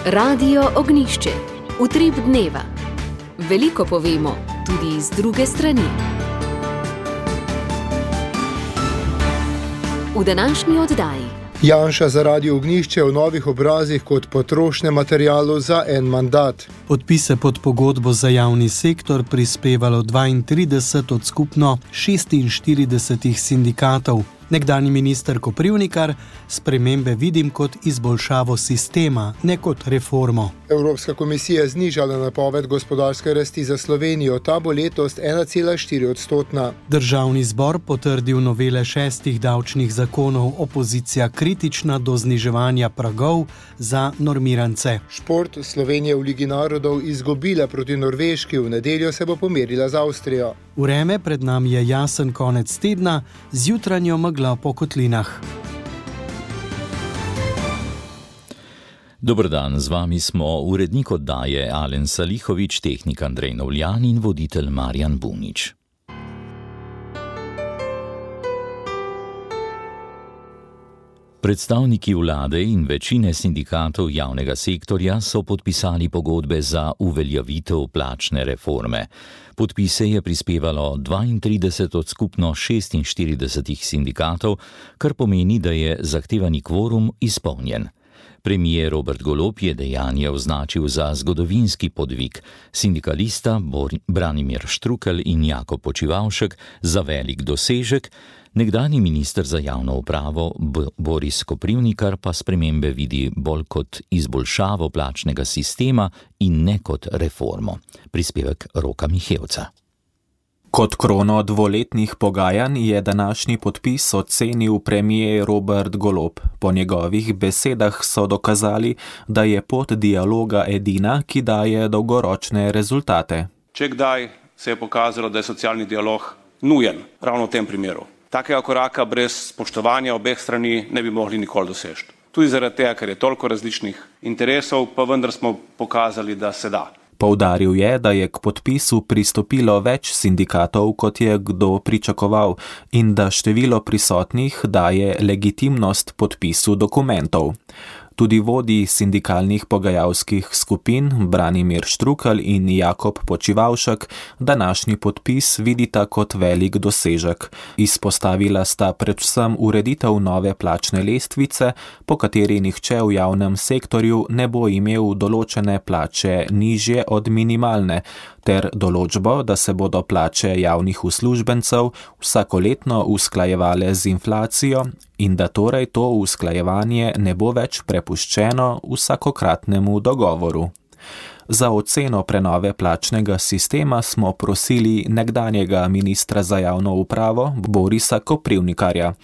Radio Ognjišče. Utrip dneva. Veliko povemo, tudi z druge strani. V današnji oddaji. Janša za Radio Ognjišče v novih obrazih kot potrošnem materialu za en mandat. Podpise pod pogodbo za javni sektor prispevalo 32 od skupno 46 sindikatov. Nekdanji minister Koprivnikar: spremembe vidim kot izboljšavo sistema, ne kot reformo. Evropska komisija je znižala napoved gospodarske rasti za Slovenijo, ta bo letos 1,4%. Državni zbor potrdil novele 6 davčnih zakonov, opozicija kritična do zniževanja pragov za normirance. Šport. Slovenija v Ligi narodov izgubila proti Norveški, v nedeljo se bo pomerila z Avstrijo. Vreme, pred nami je jasen konec tedna, z jutranjo meglo po kotlinah. Dober dan, z vami smo urednik oddaje Alen Salihović, tehnik Andrej Novljan in voditelj Marjan Bunič. Predstavniki vlade in večine sindikatov javnega sektorja so podpisali pogodbe za uveljavitev plačne reforme. Podpise je prispevalo 32 od skupno 46 sindikatov, kar pomeni, da je zahtevani kvorum izpolnjen. Premijer Robert Golob je dejanje označil za zgodovinski podvig, sindikalista Branimir Štrukelj in Jakob Počivavšek za velik dosežek, nekdanji minister za javno upravo Boris Koprivnikar pa spremembe vidi bolj kot izboljšavo plačnega sistema in ne kot reformo. Prispevek Roka Mihevca. Kot krono dvoletnih pogajanj je današnji podpis ocenil premijer Robert Golob. Po njegovih besedah so dokazali, da je pot dialoga edina, ki daje dolgoročne rezultate. Če kdaj se je pokazalo, da je socialni dialog nujen, ravno v tem primeru. Takega koraka brez spoštovanja obeh strani ne bi mogli nikoli doseči. Tudi zaradi tega, ker je toliko različnih interesov, pa vendar smo pokazali, da se da. Poudaril je, da je k podpisu pristopilo več sindikatov, kot je kdo pričakoval, in da število prisotnih daje legitimnost podpisu dokumentov. Tudi vodji sindikalnih pogajalskih skupin Branimir Štrukelj in Jakob Počivavšek današnji podpis vidita kot velik dosežek. Izpostavila sta predvsem ureditev nove plačne lestvice, po kateri nihče v javnem sektorju ne bo imel določene plače nižje od minimalne, ter določbo, da se bodo plače javnih uslužbencev vsakoletno usklajevale z inflacijo in da torej to usklajevanje ne bo več prepuščeno vsakokratnemu dogovoru. Za oceno prenove plačnega sistema smo prosili nekdanjega ministra za javno upravo Borisa Koprivnikarja.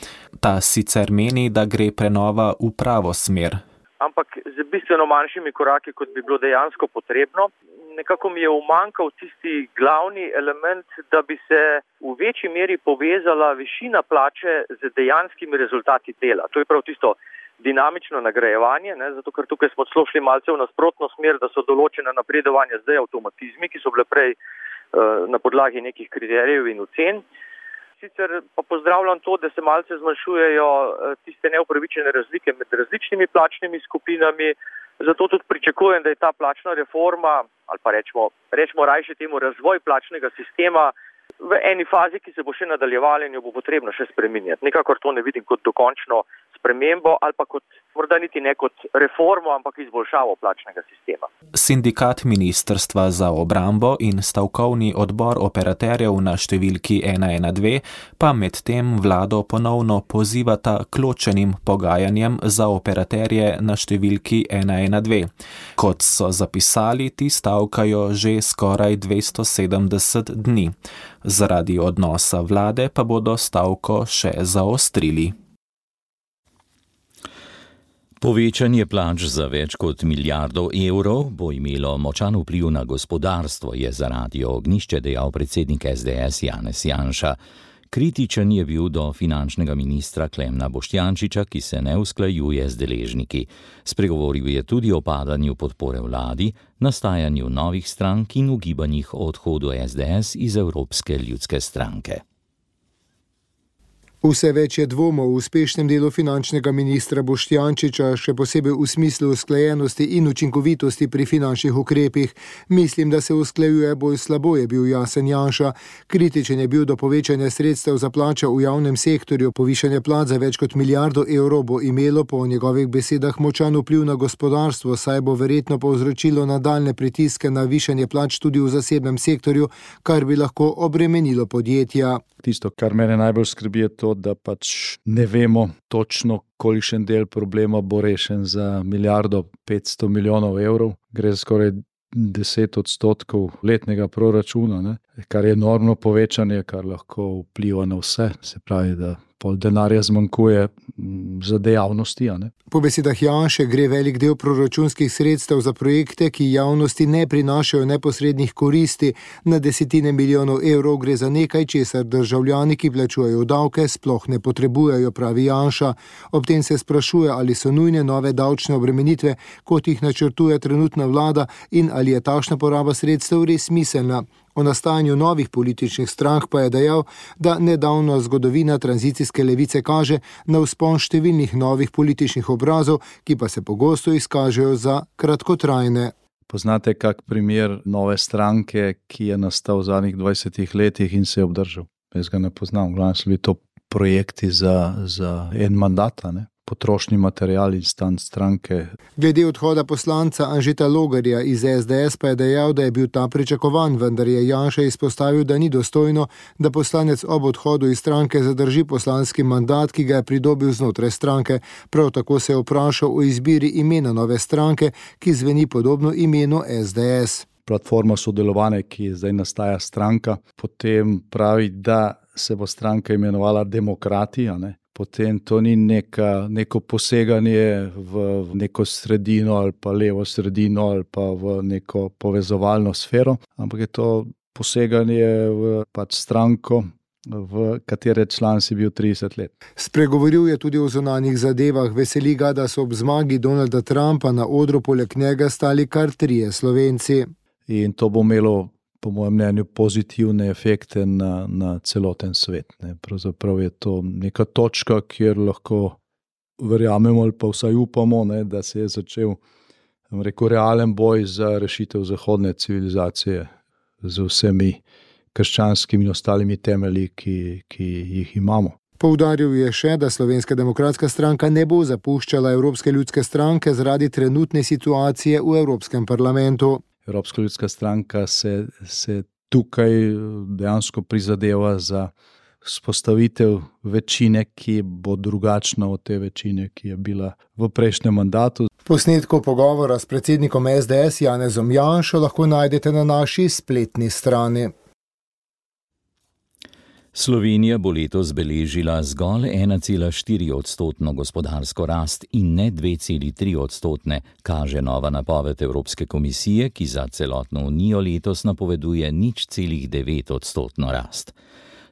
Ta sicer meni, da gre prenova v pravo smer. Ampak z bistveno manjšimi koraki, kot bi bilo dejansko potrebno. Nekako mi je umanjkal tisti glavni element, da bi se v večji meri povezala višina plače z dejanskimi rezultati dela. To je prav tisto dinamično nagrajevanje, zato ker tukaj smo šli malce v nasprotno smer, da so določene napredovanja zdaj avtomatizmi, ki so bile prej na podlagi nekih kriterijev in ocen. Sicer pa pozdravljam to, da se malce zmanjšujejo tiste neupravičene razlike med različnimi plačnimi skupinami. Zato tudi pričakujem, da je ta plačna reforma, ali pa rečemo rajše temu razvoj plačnega sistema, v eni fazi, ki se bo še nadaljevala in jo bo potrebno še spreminjati. Nekakor to ne vidim kot dokončno spremembo ali pa kot, morda niti ne kot reformo, ampak izboljšavo plačnega sistema. Sindikat Ministrstva za obrambo in stavkovni odbor operaterjev na številki 112 pa medtem vlado ponovno pozivata k ločenim pogajanjem za operaterje na številki 112. Kot so zapisali, ti stavkajo že skoraj 270 dni. Zaradi odnosa vlade pa bodo stavko še zaostrili. Povečanje plač za več kot milijardo evrov bo imelo močan vpliv na gospodarstvo, je za Radio Ognjišče dejal predsednik SDS Janez Janša. Kritičen je bil do finančnega ministra Klemna Boštjančiča, ki se ne usklajuje z deležniki. Spregovoril je tudi o padanju podpore vladi, nastajanju novih strank in ugibanjih o odhodu SDS iz Evropske ljudske stranke. Vse več je dvomov v uspešnem delu finančnega ministra Boštjančiča, še posebej v smislu usklajenosti in učinkovitosti pri finančnih ukrepih. Mislim, da se usklajuje bolj slabo, je bil jasen Janša. Kritičen je bil do povečanja sredstev za plače v javnem sektorju. Povišanje plač za več kot milijardo evrov bo imelo po njegovih besedah močan vpliv na gospodarstvo, saj bo verjetno povzročilo nadaljne pritiske na višanje plač tudi v zasebnem sektorju, kar bi lahko obremenilo podjetja. Tisto, kar mene najbolj skrbi, je to, da pač ne vemo točno, kolikšen del problema bo rešen za 1,5 milijarde evrov. Gre za skoraj 10% letnega proračuna, kar je enormno povečanje, kar lahko vpliva na vse. Se pravi, da pol denarja zmanjkuje za dejavnosti. Po besedah Janše gre velik del proračunskih sredstev za projekte, ki javnosti ne prinašajo neposrednih koristi. Na desetine milijonov evrov gre za nekaj, česar državljani, ki plačujejo davke, sploh ne potrebujejo, pravi Janša. Ob tem se sprašuje, ali so nujne nove davčne obremenitve, kot jih načrtuje trenutna vlada, in ali je takšna poraba sredstev res smiselna. O nastajanju novih političnih strank pa je dejal, da nedavna zgodovina tranzicijske levice kaže na vzpon številnih novih političnih obrazov, ki pa se pogosto izkažejo za kratkotrajne. Poznate kak primer nove stranke, ki je nastal v zadnjih 20 letih in se je obdržal? Jaz ga ne poznam, glavno so bili to projekti za en mandat, potrošni material in stan stranke. Glede odhoda poslanca Anžeta Logarja iz SDS pa je dejal, da je bil ta pričakovan, vendar je Janša izpostavil, da ni dostojno, da poslanec ob odhodu iz stranke zadrži poslanski mandat, ki ga je pridobil znotraj stranke. Prav tako se je vprašal o izbiri imena nove stranke, ki zveni podobno imenu SDS. Platforma sodelovanja, ki zdaj nastaja stranka, potem pravi, da se bo stranka imenovala Demokrati, Potem to ni neko poseganje v neko sredino ali pa levo sredino ali pa v neko povezovalno sfero, ampak je to poseganje v stranko, v katere član si bil 30 let. Spregovoril je tudi o zunanjih zadevah. Veseli ga, da so ob zmagi Donalda Trumpa na odru poleg njega stali kar 3 Slovenci. In to bo imelo, po mojem mnenju, pozitivne efekte na celoten svet. Pravzaprav je to neka točka, kjer lahko verjamemo ali pa vsaj upamo, da se je začel realen boj za rešitev zahodne civilizacije z vsemi krščanskimi in ostalimi temelji, ki jih imamo. Poudaril je še, da Slovenska demokratska stranka ne bo zapuščala Evropske ljudske stranke zaradi trenutne situacije v Evropskem parlamentu. Evropska ljudska stranka se tukaj dejansko prizadeva za vzpostavitev večine, ki bo drugačna od te večine, ki je bila v prejšnjem mandatu. Posnetkov pogovora s predsednikom SDS Janezom Janšo lahko najdete na naši spletni strani. Slovenija bo letos beležila zgolj 1,4% gospodarsko rast in ne 2,3%, kaže nova napoved Evropske komisije, ki za celotno unijo letos napoveduje 0,9% rast.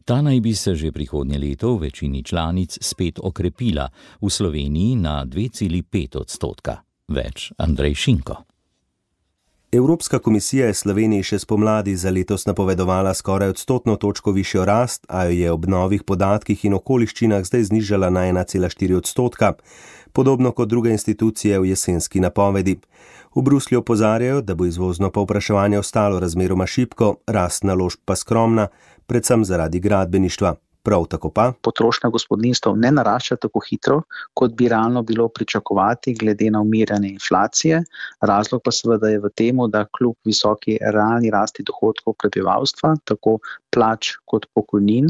Ta naj bi se že prihodnje leto v večini članic spet okrepila, v Sloveniji na 2,5%. Več Andrej Šinko. Evropska komisija je Sloveniji še spomladi za letos napovedovala skoraj 1% točko višjo rast, a jo je ob novih podatkih in okoliščinah zdaj znižala na 1,4%, podobno kot druge institucije v jesenski napovedi. V Bruslju opozarjajo, da bo izvozno povpraševanje ostalo razmeroma šibko, rast naložb pa skromna, predvsem zaradi gradbeništva. Prav tako pa potrošnja gospodinjstev ne narašča tako hitro, kot bi realno bilo pričakovati glede na umirjanje inflacije. Razlog pa seveda je v tem, da kljub visoki realni rasti dohodkov prebivalstva, tako plač kot pokojnin,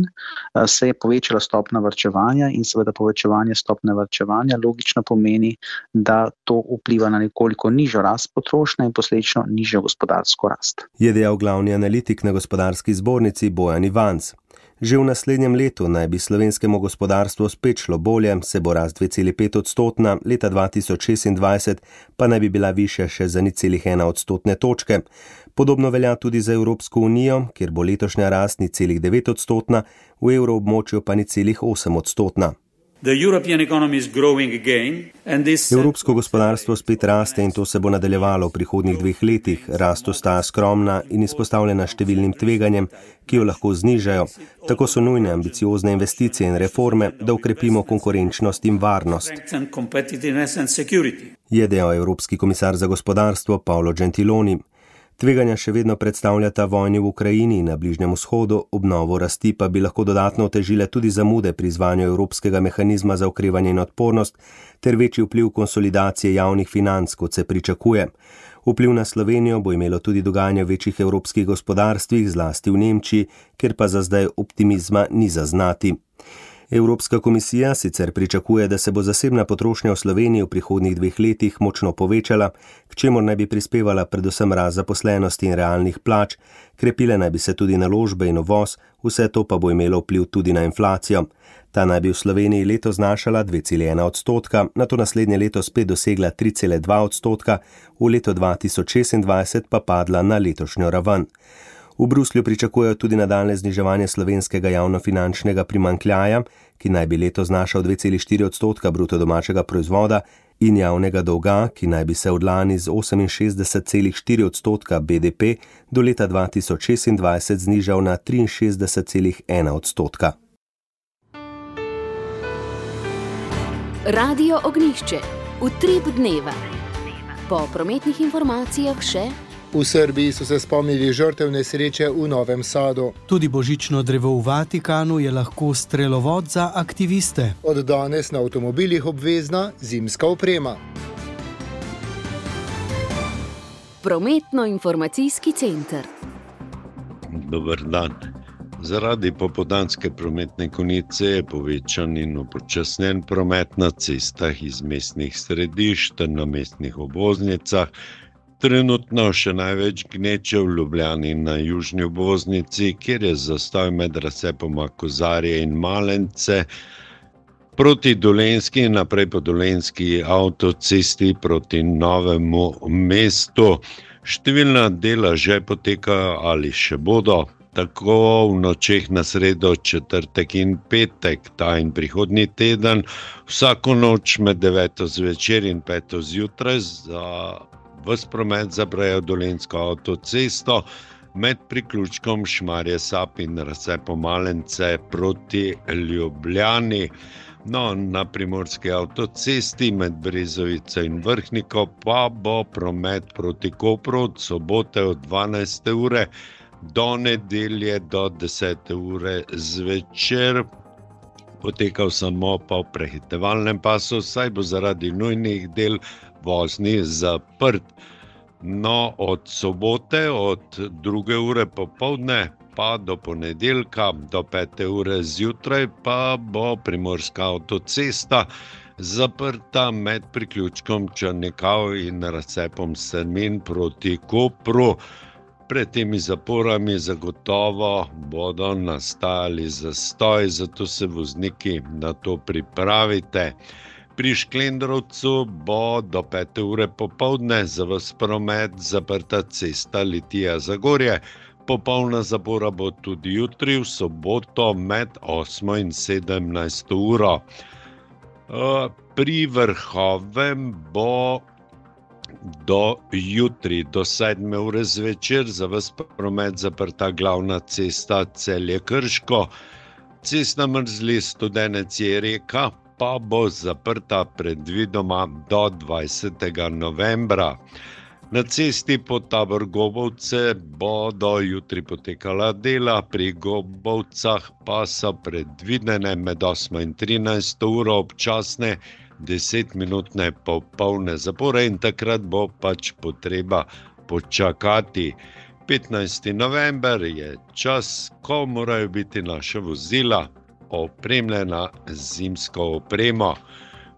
se je povečala stopnja varčevanja in seveda povečevanje stopnje varčevanja logično pomeni, da to vpliva na nekoliko nižjo rast potrošnje in posledično nižjo gospodarsko rast. Je dejal glavni analitik na Gospodarski zbornici Bojan Ivanc. Že v naslednjem letu naj bi slovenskemu gospodarstvu spet šlo bolje, se bo rast 2,5%, leta 2026 pa naj bi bila višja še za 0,1% točke. Podobno velja tudi za Evropsko unijo, kjer bo letošnja rast 0,9%, v evroobmočju pa 0,8%. Evropsko gospodarstvo spet raste in to se bo nadaljevalo v prihodnjih 2 letih. Rast ostaja skromna in izpostavljena številnim tveganjem, ki jo lahko znižajo. Tako so nujne ambiciozne investicije in reforme, da ukrepimo konkurenčnost in varnost, je dejal Evropski komisar za gospodarstvo Paolo Gentiloni. Tveganja še vedno predstavljata vojni v Ukrajini in na Bližnjem vzhodu, obnovo rasti pa bi lahko dodatno otežile tudi zamude pri izvajanju Evropskega mehanizma za okrevanje in odpornost ter večji vpliv konsolidacije javnih financ, kot se pričakuje. Vpliv na Slovenijo bo imelo tudi dogajanje v večjih evropskih gospodarstvih, zlasti v Nemčiji, kjer pa za zdaj optimizma ni zaznati. Evropska komisija sicer pričakuje, da se bo zasebna potrošnja v Sloveniji v prihodnjih 2 letih močno povečala, k čemur naj bi prispevala predvsem rast zaposlenosti in realnih plač, krepile naj bi se tudi naložbe in uvoz, vse to pa bo imelo vpliv tudi na inflacijo. Ta naj bi v Sloveniji letos znašala 2,1%, nato naslednje leto spet dosegla 3,2%, v leto 2026 pa padla na letošnjo raven. V Bruslju pričakujejo tudi nadaljnje zniževanje slovenskega javnofinančnega primanjkljaja, ki naj bi letos znašal 2,4% bruto domačega proizvoda, in javnega dolga, ki naj bi se od lani z 68,4% BDP do leta 2026 znižal na 63,1%. Radio Ognjišče. Utrip dneva. Po prometnih informacijah še: v Srbiji so se spomnili žrtev nesreče v Novem Sadu. Tudi božično drevo v Vatikanu je lahko strelovod za aktiviste. Od danes na avtomobilih obvezna zimska oprema. Prometno-informacijski center. Dober dan. Zaradi popoldanske prometne konice je povečan in upočasnjen promet na cestah iz mestnih središč ter na mestnih obvoznicah. Trenutno še največ gneče v Ljubljani na južni obvoznici, kjer je zastoj med razcepoma Kozarje in Malence, proti Dolenjski in naprej po Dolenjski avtocesti proti Novemu mestu. Številna dela že potekajo ali še bodo. Tako v nočeh na sredo, četrtek in petek, ta in prihodnji teden, vsako noč med 9. zvečer in 5. zjutraj za ves promet zaprejo Dolenjsko avtocesto med priključkom Šmarje Sap in razcepom Malence proti Ljubljani. No, na primorski avtocesti med Brezovico in Vrhniko pa bo promet proti Kopru od sobote od 12. ure do nedelje do 10. ure zvečer potekal samo po prehitevalnem pasu, saj bo zaradi nujnih del vozni zaprt. No, od sobote od 2. ure popoldne pa do ponedeljka do 5. ure zjutraj pa bo primorska avtocesta zaprta med priključkom Črnikav in razcepom Strmin proti Kopru. Pred temi zaporami zagotovo bodo nastajali zastoj, zato se vozniki na to pripravite. Pri Šklendrovcu bo do 5. ure popoldne za ves promet zaprta cesta Litija-Zagorje. Popolna zapora bo tudi jutri v soboto med 8. in 17. uro. Pri Vrhovem bo do jutri, do 7. ure zvečer za ves promet zaprta glavna cesta Celje-Krško. Cestna mrzli Studenec-Jereka pa bo zaprta predvidoma do 20. novembra. Na cesti pod Tabor-Gobovce bodo jutri potekala dela, pri Gobovcah pa so predvidene med 8. in 13. uro občasne 10-minutne popolne zapore in takrat bo pač potreba počakati. 15. november je čas, ko morajo biti naša vozila opremljena z zimsko opremo.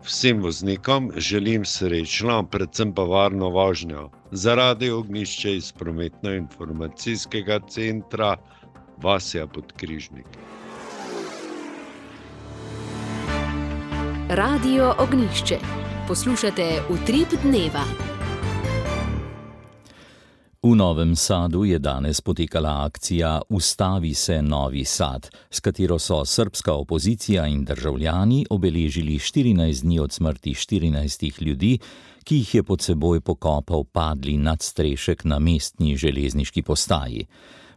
Vsem voznikom želim srečno, predvsem pa varno vožnjo. Za Radio Ognjišče iz Prometno-informacijskega centra Vasja Podkrižnik. Radio Ognjišče. Poslušate Utrip dneva. V Novem Sadu je danes potekala akcija Ustavi se Novi Sad, s katero so srbska opozicija in državljani obeležili 14 dni od smrti 14 ljudi, ki jih je pod seboj pokopal padli nadstrešek na mestni železniški postaji.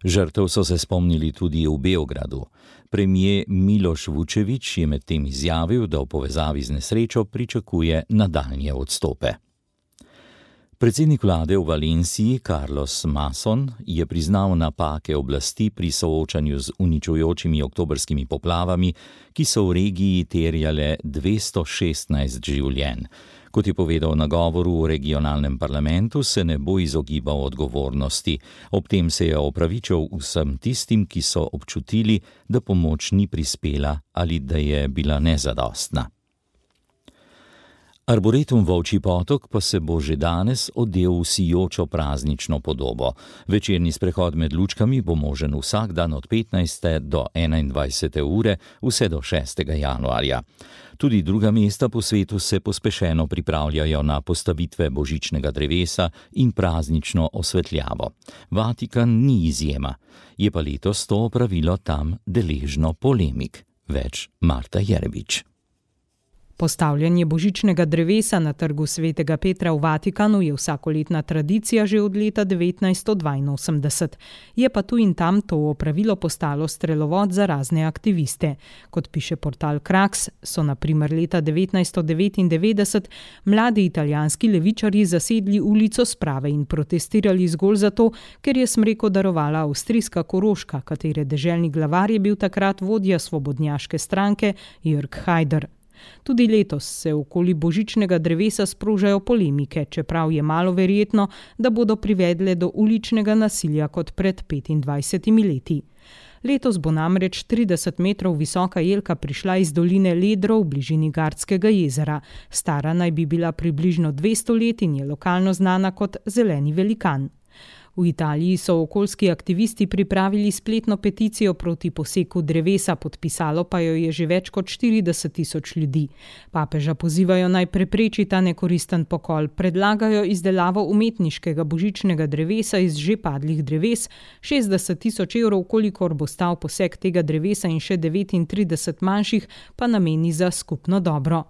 Žrtev so se spomnili tudi v Beogradu. Premijer Miloš Vučević je medtem izjavil, da v povezavi z nesrečo pričakuje nadaljnje odstope. Predsednik vlade v Valenciji, Carlos Mason, je priznal napake oblasti pri soočanju z uničujočimi oktobrskimi poplavami, ki so v regiji terjale 216 življenj. Kot je povedal na govoru v regionalnem parlamentu, se ne bo izogibal odgovornosti. Ob tem se je opravičil vsem tistim, ki so občutili, da pomoč ni prispela ali da je bila nezadostna. Arboretum Volčji potok pa se bo že danes odel v sijočo praznično podobo. Večerni sprehod med lučkami bo možen vsak dan od 15. do 21. ure vse do 6. januarja. Tudi druga mesta po svetu se pospešeno pripravljajo na postavitve božičnega drevesa in praznično osvetljavo. Vatikan ni izjema. Je pa letos to opravilo tam deležno polemik. Več Marta Jerebič. Postavljanje božičnega drevesa na trgu Svetega Petra v Vatikanu je vsakoletna tradicija že od leta 1982. Je pa tu in tam to opravilo postalo strelovod za razne aktiviste. Kot piše portal Krax, so na primer leta 1999 mladi italijanski levičarji zasedli ulico Sprave in protestirali zgolj zato, ker je smreko darovala avstrijska Koroška, katere deželni glavar je bil takrat vodja svobodnjaške stranke Jörg Haider. Tudi letos se okoli božičnega drevesa sprožajo polemike, čeprav je malo verjetno, da bodo privedle do uličnega nasilja kot pred 25 leti. Letos bo namreč 30 metrov visoka jelka prišla iz doline Ledro v bližini Gardskega jezera. Stara naj bi bila približno 200 let in je lokalno znana kot zeleni velikan. V Italiji so okoljski aktivisti pripravili spletno peticijo proti poseku drevesa, podpisalo pa jo je že več kot 40.000 ljudi. Papeža pozivajo naj prepreči ta nekoristen pokol, predlagajo izdelavo umetniškega božičnega drevesa iz že padlih dreves, 60.000 evrov, kolikor bo stal posek tega drevesa in še 39 manjših, pa nameni za skupno dobro.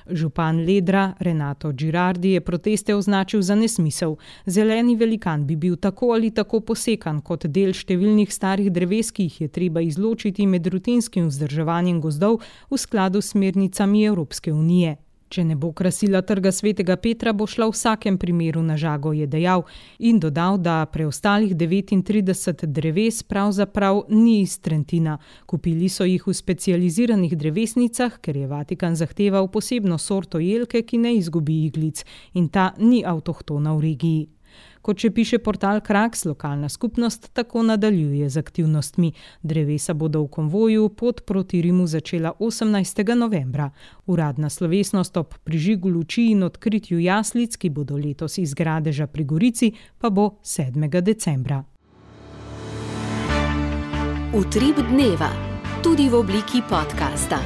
Župan Ledra Renato Girardi je proteste označil za nesmisel. Zeleni velikan bi bil tako ali tako posekan kot del številnih starih dreves, ki jih je treba izločiti med rutinskim vzdrževanjem gozdov v skladu s smernicami Evropske unije. Če ne bo krasila trga Svetega Petra, bo šla v vsakem primeru na žago, je dejal in dodal, da preostalih 39 dreves pravzaprav ni iz Trentina. Kupili so jih v specializiranih drevesnicah, ker je Vatikan zahteval posebno sorto jelke, ki ne izgubi iglic, in ta ni avtohtona v regiji. Kot še piše portal Krax, lokalna skupnost tako nadaljuje z aktivnostmi. Drevesa bodo v konvoju pot proti Rimu začela 18. novembra. Uradna slovesnost ob prižigu luči in odkritju jaslic, ki bodo letos iz Gradeža pri Gorici, pa bo 7. decembra. Utrip dneva, tudi v obliki podcasta.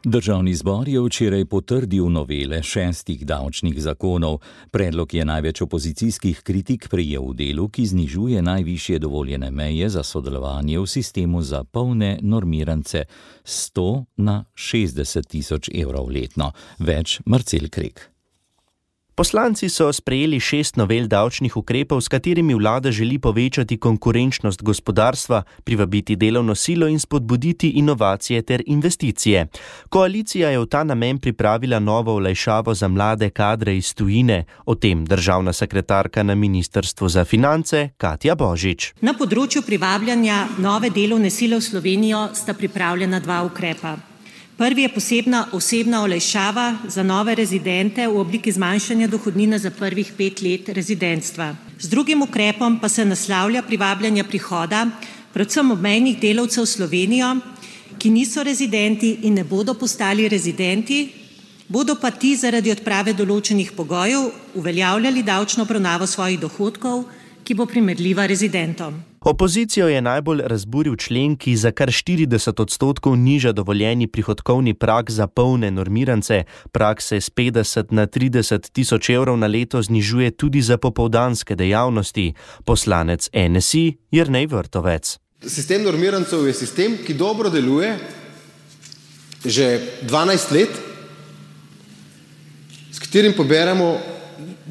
Državni zbor je včeraj potrdil novele 6 davčnih zakonov. Predlog je največ opozicijskih kritik prejel v delu, ki znižuje najvišje dovoljene meje za sodelovanje v sistemu za polne normirance 100 na 60.000 evrov letno. Več Marcel Krek. Poslanci so sprejeli 6 novel davčnih ukrepov, s katerimi vlada želi povečati konkurenčnost gospodarstva, privabiti delovno silo in spodbuditi inovacije ter investicije. Koalicija je v ta namen pripravila novo olajšavo za mlade kadre iz tujine. O tem državna sekretarka na Ministrstvu za finance Katja Božič. Na področju privabljanja nove delovne sile v Slovenijo sta pripravljena 2 ukrepa. Prvi je posebna osebna olajšava za nove rezidente v obliki zmanjšanja dohodnine za prvih 5 let rezidentstva. Z drugim ukrepom pa se naslavlja privabljanje prihoda predvsem obmejnih delavcev v Slovenijo, ki niso rezidenti in ne bodo postali rezidenti, bodo pa ti zaradi odprave določenih pogojev uveljavljali davčno obravnavo svojih dohodkov, ki bo primerljiva rezidentom. Opozicijo je najbolj razburil člen, ki za kar 40% niža dovoljeni prihodkovni prag za polne normirance. Prag se s 50 na 30 tisoč evrov na leto znižuje tudi za popoldanske dejavnosti. Poslanec NSI Jernej Vrtovec. Sistem normirancev je sistem, ki dobro deluje že 12 let, s katerim poberemo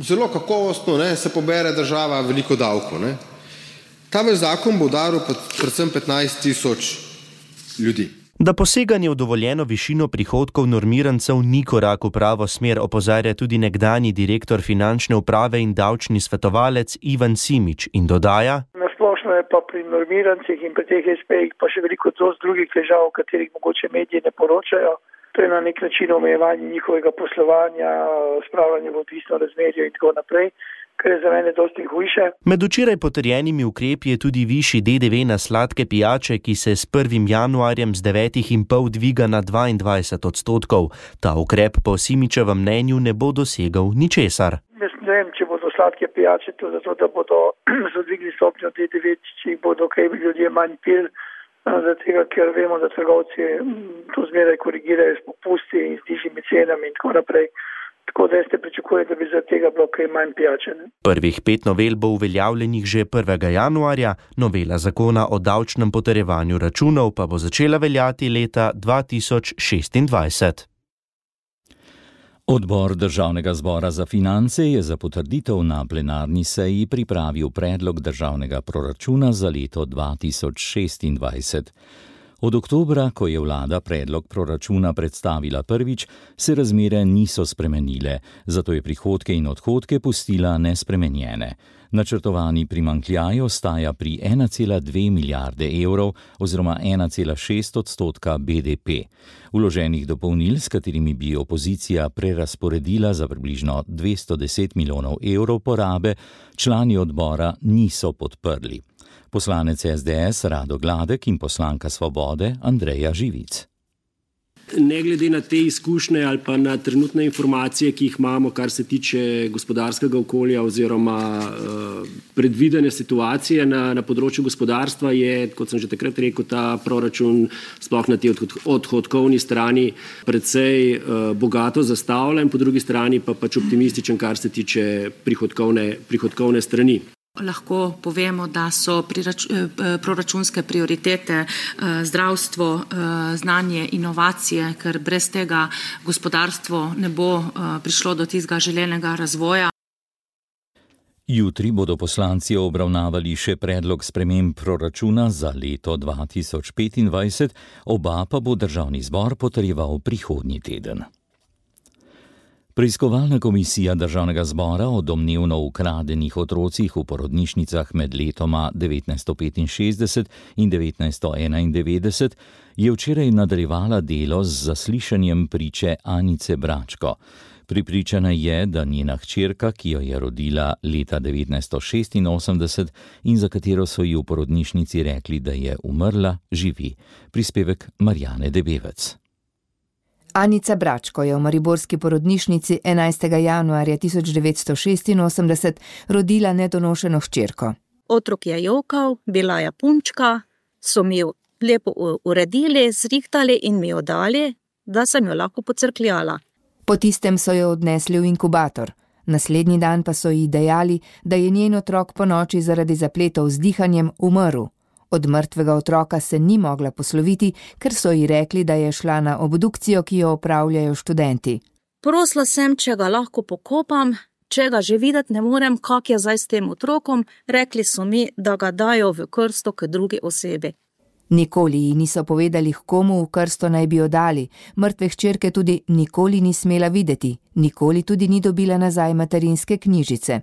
zelo kakovostno, se pobere država veliko davkov. Ta zakon bo udaril predvsem 15 tisoč ljudi. Da poseganje v dovoljeno višino prihodkov normirancev ni korak v pravo smer, opozarja tudi nekdanji direktor finančne uprave in davčni svetovalec Ivan Simič in dodaja: Nasplošno je pa pri normirancih in pri teh SP-jih pa še veliko drugih težav, o katerih mogoče mediji ne poročajo. To je na nek način omejevanje njihovega poslovanja, spravljanje v odvisno razmerje in tako naprej, kar je za mene dosti hujše. Med včeraj potrjenimi ukrepi je tudi višji DDV na sladke pijače, ki se s 1. januarjem z 9,5 dviga na 22%. Ta ukrep po Simičevem mnenju ne bo dosegal ničesar. Jaz ne vem, če bodo sladke pijače to zato, da bodo zadvigli stopnjo DDV, če jih bodo kaj ljudje manj pili, zato ker vemo, da trgovci to zmeraj korigirajo s popusti in z nižjimi cenami in tako naprej. Tako da jaz te pričakujem, da bi zaradi tega bilo kaj manj pijače. Prvih 5 novel bo uveljavljenih že 1. januarja, novela zakona o davčnem potrjevanju računov pa bo začela veljati leta 2026. Odbor Državnega zbora za finance je za potrditev na plenarni seji pripravil predlog državnega proračuna za leto 2026. Od oktobra, ko je vlada predlog proračuna predstavila prvič, se razmere niso spremenile, zato je prihodke in odhodke pustila nespremenjene. Načrtovani primanjkljaj ostaja pri 1,2 milijarde evrov oziroma 1,6% BDP. Vloženih dopolnil, s katerimi bi opozicija prerazporedila za približno 210 milijonov evrov porabe, člani odbora niso podprli. Poslanec SDS Rado Gladek in poslanka Svobode Andreja Živic. Ne glede na te izkušnje ali pa na trenutne informacije, ki jih imamo, kar se tiče gospodarskega okolja oziroma predvidene situacije na področju gospodarstva, je, kot sem že takrat rekel, ta proračun sploh na tej odhodkovni strani precej bogato zastavljen, po drugi strani pa pač optimističen, kar se tiče prihodkovne strani. Lahko povemo, da so proračunske prioritete zdravstvo, znanje, inovacije, ker brez tega gospodarstvo ne bo prišlo do tistega želenega razvoja. Jutri bodo poslanci obravnavali še predlog sprememb proračuna za leto 2025, oba pa bo Državni zbor potrjeval prihodnji teden. Preiskovalna komisija Državnega zbora o domnevno ukradenih otrocih v porodnišnicah med letoma 1965 in 1991 je včeraj nadaljevala delo z zaslišanjem priče Anice Bračko. Prepričana je, da njena hčerka, ki jo je rodila leta 1986 in za katero so ji v porodnišnici rekli, da je umrla, živi. Prispevek Marjane Debevec. Anica Bračko je v mariborski porodnišnici 11. januarja 1986 rodila nedonošeno hčerko. Otrok je jokal, bila je punčka, so mi jo lepo uredili, zrihtali in mi jo dali, da sem jo lahko pocrkljala. Po tistem so jo odnesli v inkubator. Naslednji dan pa so ji dejali, da je njen otrok ponoči zaradi zapletov z dihanjem umrl. Od mrtvega otroka se ni mogla posloviti, ker so ji rekli, da je šla na obdukcijo, ki jo opravljajo študenti. Prosila sem, če ga lahko pokopam, če ga že videti ne morem, kak je zdaj s tem otrokom, rekli so mi, da ga dajo v krsto k drugi osebi. Nikoli ji niso povedali, komu v krsto naj bi jo dali, mrtve hčerke tudi nikoli ni smela videti, nikoli tudi ni dobila nazaj materinske knjižice.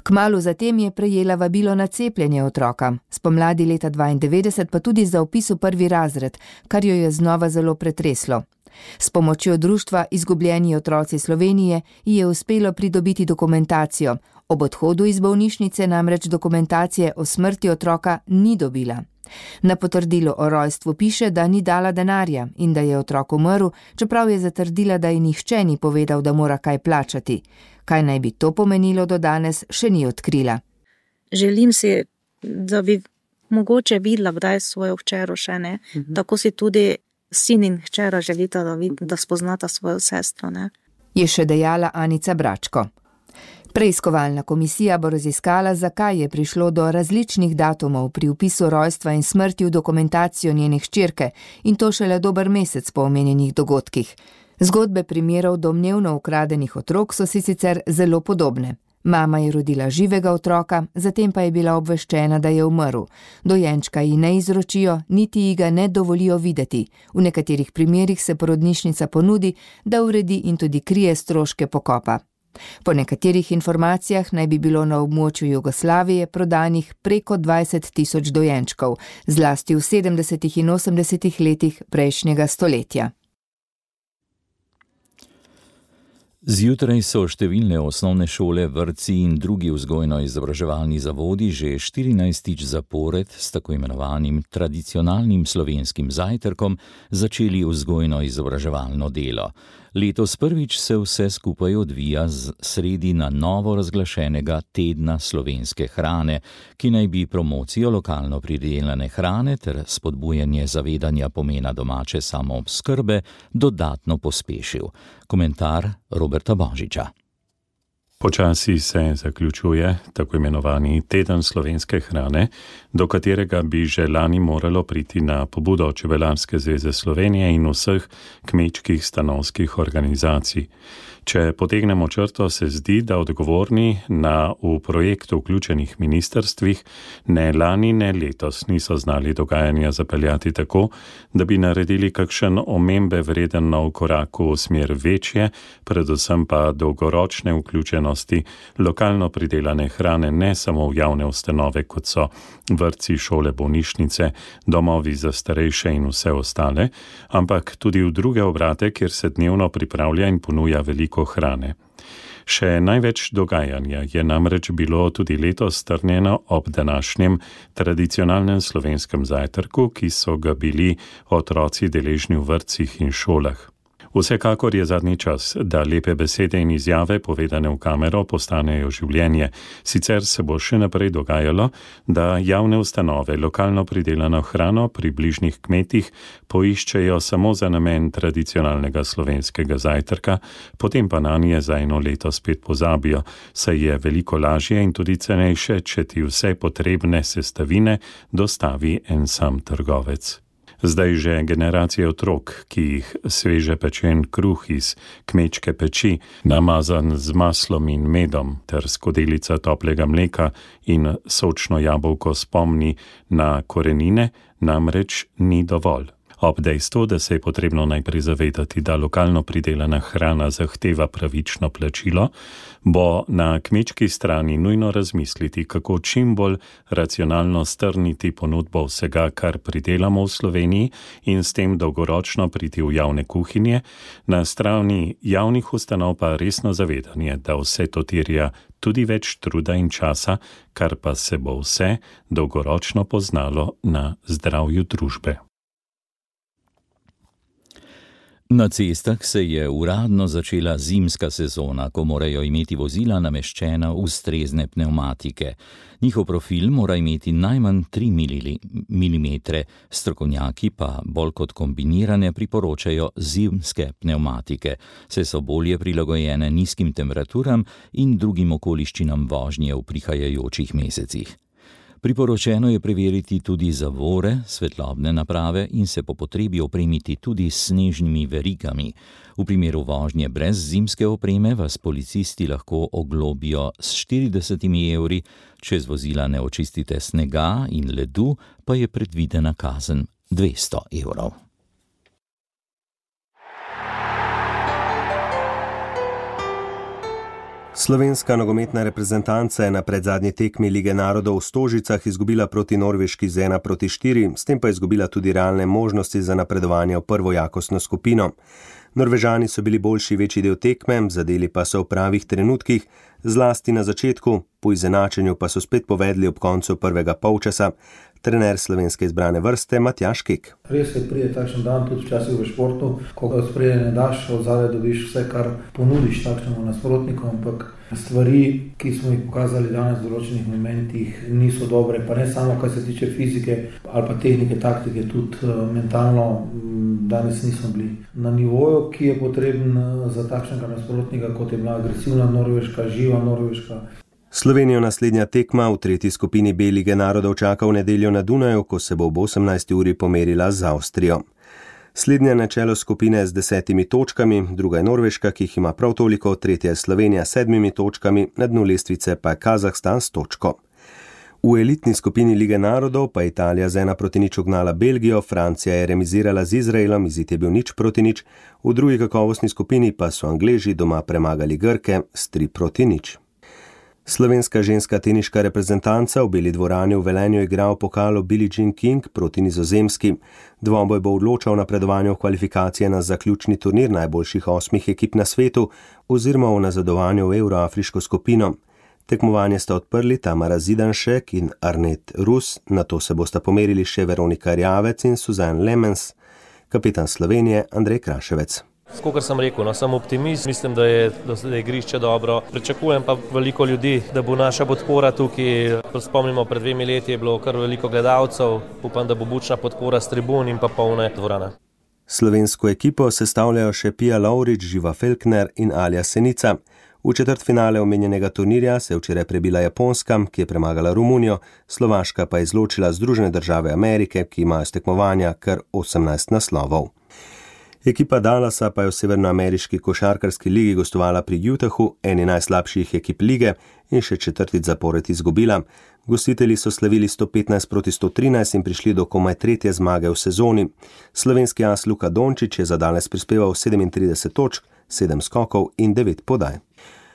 Kmalu zatem je prejela vabilo na cepljenje otroka, spomladi leta 1992 pa tudi za vpis v 1. razred, kar jo je znova zelo pretreslo. S pomočjo društva Izgubljeni otroci Slovenije ji je uspelo pridobiti dokumentacijo, ob odhodu iz bolnišnice namreč dokumentacije o smrti otroka ni dobila. Na potrdilu o rojstvu piše, da ni dala denarja in da je otrok umrl, čeprav je zatrdila, da ji nihče ni povedal, da mora kaj plačati. Kaj naj bi to pomenilo do danes, še ni odkrila. Želim si, da bi mogoče videla, kdaj svojo hčero še ne. Tako si tudi sin in hčera želita, da spoznata svojo sestro, ne. Je še dejala Anica Bračko. Preiskovalna komisija bo raziskala, zakaj je prišlo do različnih datumov pri vpisu rojstva in smrti v dokumentacijo njene hčerke in to šele dober mesec po omenjenih dogodkih. Zgodbe primerov domnevno ukradenih otrok so si sicer zelo podobne. Mama je rodila živega otroka, zatem pa je bila obveščena, da je umrl. Dojenčka ji ne izročijo, niti ji ga ne dovolijo videti. V nekaterih primerih se porodnišnica ponudi, da uredi in tudi krije stroške pokopa. Po nekaterih informacijah naj bi bilo na območju Jugoslavije prodanih preko 20.000 dojenčkov, zlasti v 70. in 80. letih prejšnjega stoletja. Zjutraj so številne osnovne šole, vrtci in drugi vzgojno-izobraževalni zavodi že 14. zapored s tako imenovanim tradicionalnim slovenskim zajtrkom začeli vzgojno-izobraževalno delo. Letos prvič se vse skupaj odvija sredi na novo razglašenega tedna slovenske hrane, ki naj bi promocijo lokalno pridelane hrane ter spodbujanje zavedanja pomena domače samooskrbe dodatno pospešil. Komentar Roberta Božiča. Počasi se zaključuje tako imenovani teden slovenske hrane, do katerega bi že lani moralo priti na pobudo Čebelarske zveze Slovenije in vseh kmečkih stanovskih organizacij. Če potegnemo črto, se zdi, da odgovorni na v projektu vključenih ministrstvih ne lani, ne letos niso znali dogajanja zapeljati tako, da bi naredili kakšen omembe vreden nov korak v smer večje, predvsem pa dolgoročne vključenosti lokalno pridelane hrane ne samo v javne ustanove, kot so vrtci, šole, bolnišnice, domovi za starejše in vse ostale, ampak tudi v druge obrate, kjer se dnevno pripravlja in ponuja veliko hrane. Še največ dogajanja je namreč bilo tudi letos strnjeno ob današnjem tradicionalnem slovenskem zajtrku, ki so ga bili otroci deležni v vrtcih in šolah. Vsekakor je zadnji čas, da lepe besede in izjave povedane v kamero postanejo življenje. Sicer se bo še naprej dogajalo, da javne ustanove lokalno pridelano hrano pri bližnjih kmetih poiščejo samo za namen tradicionalnega slovenskega zajtrka, potem pa nanje za eno leto spet pozabijo, saj je veliko lažje in tudi cenejše, če ti vse potrebne sestavine dostavi en sam trgovec. Zdaj že generacije otrok, ki jih sveže pečen kruh iz kmečke peči, namazan z maslom in medom, ter skodelica toplega mleka in sočno jabolko spomni na korenine, namreč ni dovolj. Ob dejstvu, da se je potrebno najprej zavedati, da lokalno pridelana hrana zahteva pravično plačilo, bo na kmečki strani nujno razmisliti, kako čim bolj racionalno strniti ponudbo vsega, kar pridelamo v Sloveniji in s tem dolgoročno priti v javne kuhinje, na strani javnih ustanov pa resno zavedanje, da vse to terja tudi več truda in časa, kar pa se bo vse dolgoročno poznalo na zdravju družbe. Na cestah se je uradno začela zimska sezona, ko morajo imeti vozila nameščena ustrezne pnevmatike. Njihov profil mora imeti najmanj 3 mm, strokovnjaki pa bolj kot kombinirane priporočajo zimske pnevmatike, saj so bolje prilagojene nizkim temperaturam in drugim okoliščinam vožnje v prihajajočih mesecih. Priporočeno je preveriti tudi zavore, svetlobne naprave in se po potrebi opremiti tudi s snežnimi verigami. V primeru vožnje brez zimske opreme vas policisti lahko oglobijo s 40 evri, če z vozila ne očistite snega in ledu, pa je predvidena kazen 200 evrov. Slovenska nogometna reprezentanca je na predzadnji tekmi Lige narodov v Stožicah izgubila proti Norveški z 1:4, s tem pa izgubila tudi realne možnosti za napredovanje v prvo jakostno skupino. Norvežani so bili boljši večji del tekme, zadeli pa so v pravih trenutkih, zlasti na začetku, po izenačenju pa so spet povedli ob koncu prvega polčasa. trener slovenske izbrane vrste Matjaž Kek. Res je, pride takšen dan tudi včasih v športu, ko ga spredje ne daš, od zadaj dobiš vse, kar ponudiš takšnemu nasprotniku, ampak stvari, ki smo jih pokazali danes v določenih momentih, niso dobre, pa ne samo, kar se tiče fizike ali pa tehnike, taktike, tudi mentalno danes nismo bili na nivoju, ki je potreben za takšnega nasprotnika, kot je bila agresivna Norveška, živa Norveška. Slovenijo naslednja tekma v tretji skupini B Lige narodov čaka v nedeljo na Dunaju, ko se bo ob 18. uri pomerila z Avstrijo. Slednja na čelo skupine z 10 točkami, druga je Norveška, ki jih ima prav toliko, tretja je Slovenija s 7 točkami, na dnu lestvice pa je Kazahstan s točko. V elitni skupini Lige narodov pa je Italija z 1-0 ugnala Belgijo, Francija je remizirala z Izraelom, izid je bil 0-0, v drugi kakovostni skupini pa so Angleži doma premagali Grke s 3-0. Slovenska ženska teniška reprezentanca v Beli dvorani v Velenju igra v pokalu Billie Jean King proti Nizozemski. Dvoboj bo odločal napredovanje v kvalifikacije na zaključni turnir najboljših 8 ekip na svetu oziroma v nazadovanju v Euroafriško skupino. Tekmovanje sta odprli Tamara Zidanšek in Arnet Rus, nato se bosta pomerili še Veronika Rjavec in Suzanne Lemens. Kapetan Slovenije Andrej Kraševec. Skokar sem rekel, sem optimist, mislim, da je igrišče dobro. Pričakujem pa veliko ljudi, da bo naša podpora tukaj. Spomnimo, pred 2 leti je bilo kar veliko gledalcev, upam, da bo bučna podpora s tribun in pa polne dvorane. Slovensko ekipo sestavljajo še Pia Lovrič, Živa Felkner in Alja Senica. V četrtfinale omenjenega turnirja se je včeraj prebila Japonska, ki je premagala Romunijo, Slovaška pa je izločila Združene države Amerike, ki imajo s tekmovanja kar 18 naslovov. Ekipa Dallasa pa je v severnoameriški košarkarski ligi gostovala pri Utahu, eni najslabših ekip lige, in še 4. zapored izgubila. Gostitelji so slavili 115-113 in prišli do komaj 3. zmage v sezoni. Slovenski as Luka Dončić je za Dallas prispeval 37 točk, 7 skokov in 9 podaj.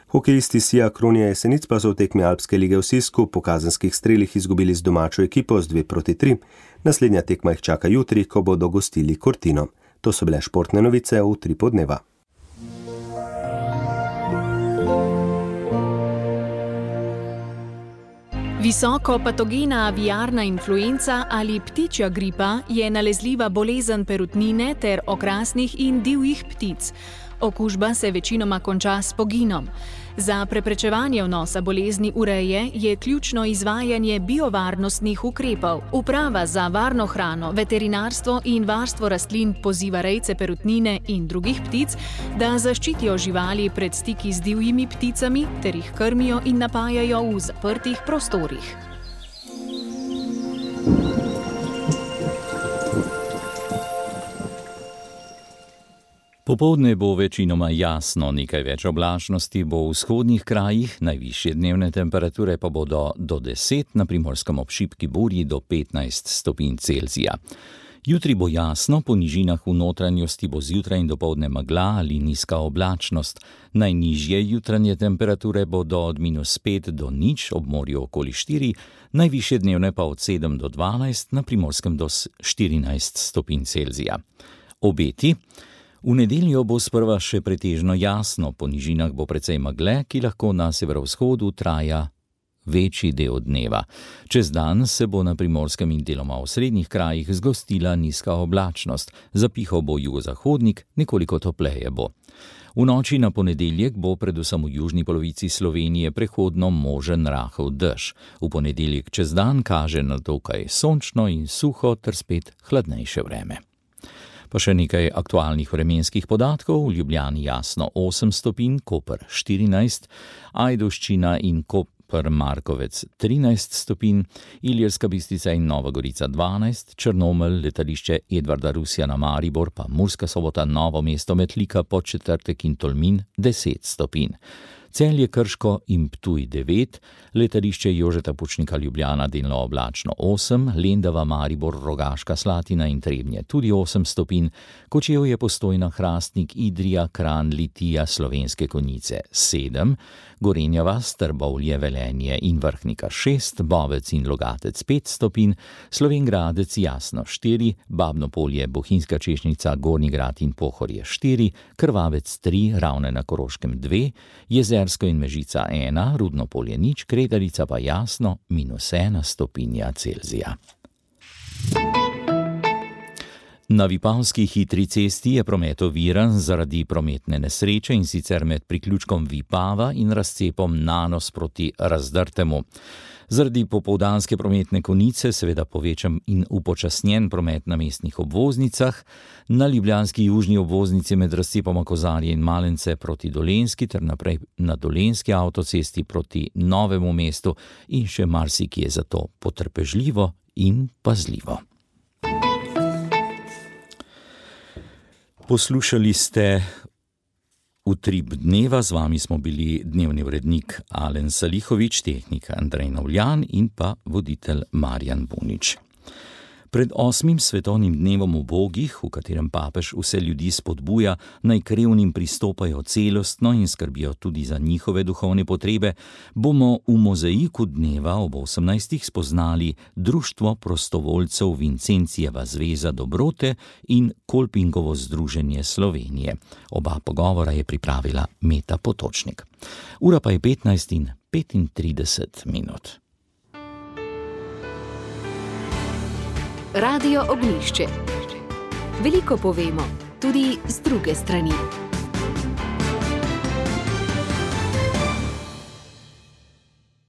Hokejisti Sija Kronija Jesenic pa so v tekmi Alpske lige v Sisku po kazenskih strelih izgubili z domačo ekipo z 2-3. Naslednja tekma jih čaka jutri, ko bodo gostili Cortino. To so bile športne novice v 3 podneva. Visoko patogena aviarna influenca ali ptičja gripa je nalezljiva bolezen perutnine ter okrasnih in divjih ptic. Okužba se večinoma konča s poginom. Za preprečevanje vnosa bolezni v reje je ključno izvajanje biovarnostnih ukrepov. Uprava za varno hrano, veterinarstvo in varstvo rastlin poziva rejce perutnine in drugih ptic, da zaščitijo živali pred stiki z divjimi pticami ter jih krmijo in napajajo v zaprtih prostorih. Popoldne bo večinoma jasno, nekaj več oblačnosti bo v vzhodnih krajih, najvišje dnevne temperature pa bodo do 10, na Primorskem ob šibki burji do 15 stopinj Celzija. Jutri bo jasno, po nižinah v notranjosti bo zjutraj in dopoldne megla ali nizka oblačnost. Najnižje jutranje temperature bodo od -5 do 0, ob morju okoli 4, najvišje dnevne pa od 7 do 12, na Primorskem do 14 stopinj Celzija. Obeti. V nedeljo bo sprva še pretežno jasno, po nižinah bo precej megle, ki lahko na severovzhodu traja večji del dneva. Čez dan se bo na Primorskem in deloma v srednjih krajih zgostila nizka oblačnost, zapihal bo jugozahodnik, nekoliko topleje bo. V noči na ponedeljek bo predvsem v južni polovici Slovenije prehodno možen rahel dež. V ponedeljek čez dan kaže na dokaj sončno in suho ter spet hladnejše vreme. Pa še nekaj aktualnih vremenskih podatkov. V Ljubljani jasno 8 stopinj, Koper 14, Ajdovščina in Koper Markovec 13 stopinj, Ilirska Bistrica in Nova Gorica 12, Črnomelj, letališče Edvarda Rusjana na Maribor, pa Murska Sobota, Novo mesto, Metlika, Podčetrtek in Tolmin 10 stopinj. Celje, Krško in Ptuj 9, letališče Jožeta Pučnika Ljubljana delno oblačno 8, Lendava, Maribor, Rogaška Slatina in Trebnje tudi 8 stopinj, Kočevje, Postojna, Hrastnik, Idrija, Kranj, Litija, Slovenske Konjice 7, Gorenja vas, Trbovlje, Velenje in Vrhnika 6, Bovec in Logatec 5 stopinj, Slovenjgradec jasno 4, Babno Polje, Bohinjska Češnjica, Gornji Grad in Pohorje 4, Krvavec 3, Ravne na Koroškem 2, Jezersko in Mežica 1, Rudno Polje 0, Kredarica pa jasno -1 stopinja Celzija. Na Vipavski hitri cesti je promet oviran zaradi prometne nesreče, in sicer med priključkom Vipava in razcepom Nanos proti Razdrtemu. Zaradi popoldanske prometne konice seveda povečan in upočasnjen promet na mestnih obvoznicah, na ljubljanski južni obvoznici med razcepoma Kozarje in Malence proti Dolenjski ter naprej na Dolenjski avtocesti proti Novemu mestu in še marsikje, zato potrpežljivo in pazljivo. Poslušali ste Utrip dneva, z vami smo bili dnevni urednik Alen Salihovič, tehnik Andrej Navljan in pa voditelj Marjan Bunič. Pred 8. svetovnim dnevom ubogih, v katerem papež vse ljudi spodbuja, naj k revnim pristopajo celostno in skrbijo tudi za njihove duhovne potrebe, bomo v mozaiku dneva ob 18. spoznali Društvo prostovoljcev Vincencijeva zveza dobrote in Kolpingovo združenje Slovenije. Oba pogovora je pripravila Meta Potočnik. Ura pa je 15:35. Radio Ognjišče. Veliko povemo, tudi z druge strani.